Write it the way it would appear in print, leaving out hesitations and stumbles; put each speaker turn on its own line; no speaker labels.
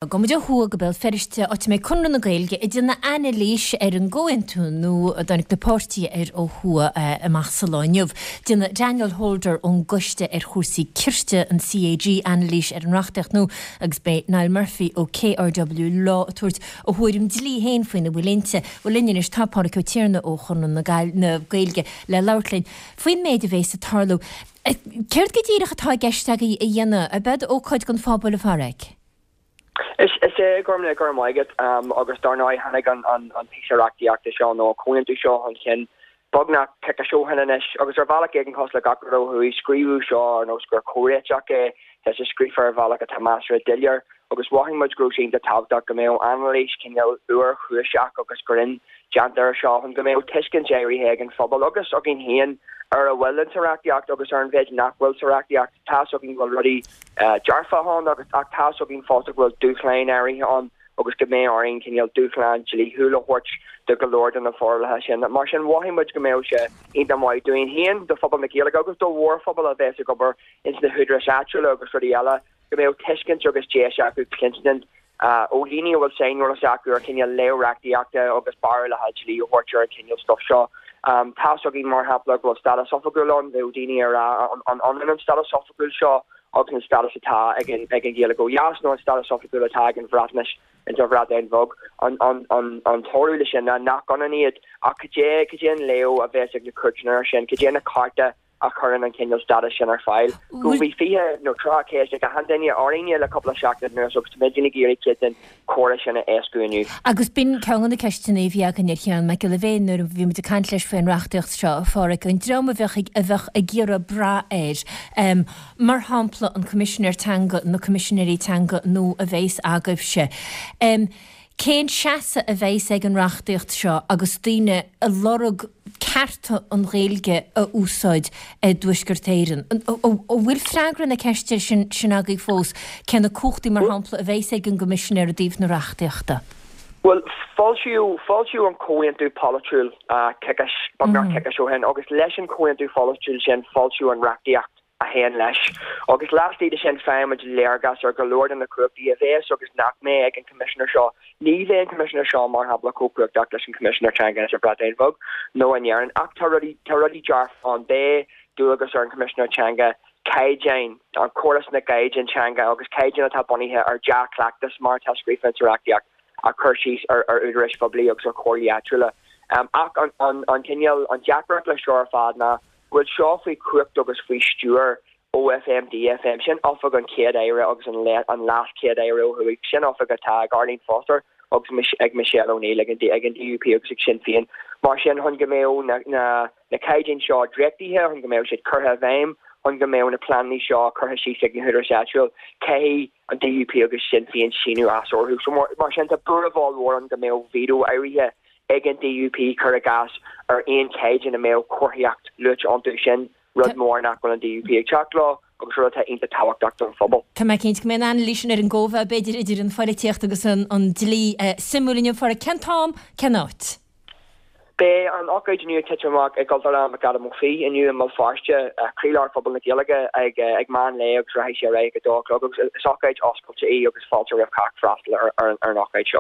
Gabhfaidh muid ó thuaidh go Béal Feirste, áit a mbeidh Conradh na Gaeilge ag déanamh anailís ar an gcomhaontú nua a dtáinig na páirtithe air ó thuaidh amach sa lá inniu. Déanfaidh Daniel Holder ón gCoiste ar Chúrsaí Cirt, an CAG, anailís ar an reachtaíocht nua agus beidh Niall Murphy ó KRW Law ag tabhairt a thuairim dlí féin faoina bhfuil inti. Bhuel linn anois tá Pádraig Ó Tiarnaigh ó Chonradh na Gaeilge le labhairt linn faoin méid a bhéas ag tarlú. Céard go díreach atá i gceist agaibh a dhéanamh? Ab ead ócáid don phobal, a Phádraig?
Is ea, Gormlaith, go raibh maith agat. Agus dar ndóigh tháinig an píosa reachtaíochta seo nó an comhaontú seo chun cinn beagnach coicís ó shin anois agus ar bhealach éigin cosúil le gach rud ó thuaidh, scríobhadh seo ar nós gur comhréiteach é, tá sé scríofa ar bhealach atá measartha doiléir agus mhothaigh muid go raibh sé iontach tábhachtach go mbeadh anailís cineál fhuarchúiseach agus grinn déanta air seo chun go mbeadh tuiscint áirithe ag an phobal agus againn féin ar a bhfuil insa reachtaíocht agus ar an mhéid nach bhfuil sa reachtaíocht. Tá's againn go bhfuil rudaí dearfacha ann agus ach tá's againn fosta go bhfuil dúshláin áirithe ann agus go mbeidh orainn cineál dúshlán dlíthiúil a thabhairt do go leor de na forálacha sin. Mar sin mhothaigh muid go mbeadh sé iontach maith dúinn féin, do phobal na Gaeilge agus do mhórphobal a bheas ag obair ins na húdaráis áitiúla agus rudaí eile, go mbeadh tuiscint agus deis acu cluinstin ó dhaoine a bhfuil saineolas acu ar chineál léamh reachtaíochta agus barúlacha dlí a thabhairt ar an chineál stuif seo. Tá's againn, mar shampla, go bhfuil stádas oifigiúil ann, bheadh daoine ag rá an ionann an stádas oifigiúil seo agus an stádas atá ag an Ghaeilge ó dheas nó an stádas oifigiúil atá ag an Bhreatnais ins an Bhreatain Bheag. An toradh le sin ná nach ionann iad, ach cad é, cad é an léamh a bheas ag na cúirteanna air sin, cad é na cearta a chuireann an cineál stádas sin ar fáil. Go bhí 20 nó 30 ceist ag achan duine orainne le cúpla seachtain anuas agus táimidne ag iarraidh cuid den chomhrá sin a éascú inniu.
Agus b'in ceann de na ceisteanna a bhí againn ar Sheán Mac Giolla Bhéin nuair a bhí muid ag caint leis faoin reachtaíocht seo, a Pháraic, an dream a bheadh ag, a bheadh ag iarraidh brath air, mar shampla an Coimisinéir Teanga, na Coimisinéirí Teanga nua a bheas agaibhse. Cén seasamh a bheas ag an reachtaíocht seo agus daoine ag lorg cearta an Ghaeilge a úsáid i dTuaisceart Éireann? An bhfuil freagra na ceiste sin agaibh fós? Cé na cumhachtaí, mar shampla, a bheas ag an gCoimisinéir i dtaobh na reachtaíochta?
Bhuel, foilsíodh, foilsíodh an comhaontú polaitiúil coicís, beagnach coicís ó shin agus leis an chomhaontú pholaitiúil sin foilsíodh an reachtaíocht. a théann leis, agus laistigh de sin faighimid léargas ar go leor de na cumhachtaí a bheas agus nach mbeidh ag an Choimisinéir seo. Ní bheidh an Coimisinéir seo, mar shampla, chomh cumhachtach leis an Choimisinéir Teanga sa Bhreatain Bheag nó in Éirinn, ach tá rudaí, tá rudaí dearfa ann. Beidh dualgas ar an Choimisinéir Teanga caighdeáin, an córas na gcaighdeán teanga agus caighdeáin atá bunaithe ar dea-chleachtas mar atá scríofa insa reachtaíocht, a chur síos ar údaráis phoiblí agus ar chomhairlí áitiúla. Ach an, an cineál, an deacracht leis seo ar fad ná, go bhfuil seo faoi chumhacht agus faoi stiúir OFM DFM, sin Oifig an Chéad-Aire agus an LeasChéad-Aire ó thuaidh, sin oifig atá ag Arlene Foster agus ag Michelle O'Neill ag an DUP agus ag Sinn Féin. Mar sin, chun go mbeadh na caighdeáin seo dréachtaithe, chun go mbeadh siad curtha i bhfeidhm, chun go mbeadh na pleananna seo curtha síos ag na húdaráis áitiúil, caithfidh an DUP agus Sinn Féin síniú as orthu. So mar sin, tá buaireamh ollmhór ann go mbeadh veto áirithe ag an DUP, cuir i gcás, ar aon chaighdeán a mbeadh comharthaíocht luaite iontu, sin rud mór nach bhfuil an DUP ag teacht leo agus rud atá iontach tábhachtach don phobal.
Tá mé cinnte go mbeidh an anailís sin ar an gcóimheá, b'fhéidir, idir an phoilitíocht agus an dlí suimiúil inniu. A Pháraic, cén t-am, cén áit?
Beidh an ócáid inniu ag titim amach i gCultúrlann McAdam Ó Fiaich inniu i mBéal Feirste, croílár phobal na Gaeilge, ag meán lae agus rachaidh sé ar aghaidh ag a dó a chlog agus is ócáid oscailte í agus fáilte roimh chách freastal ar an ócáid seo.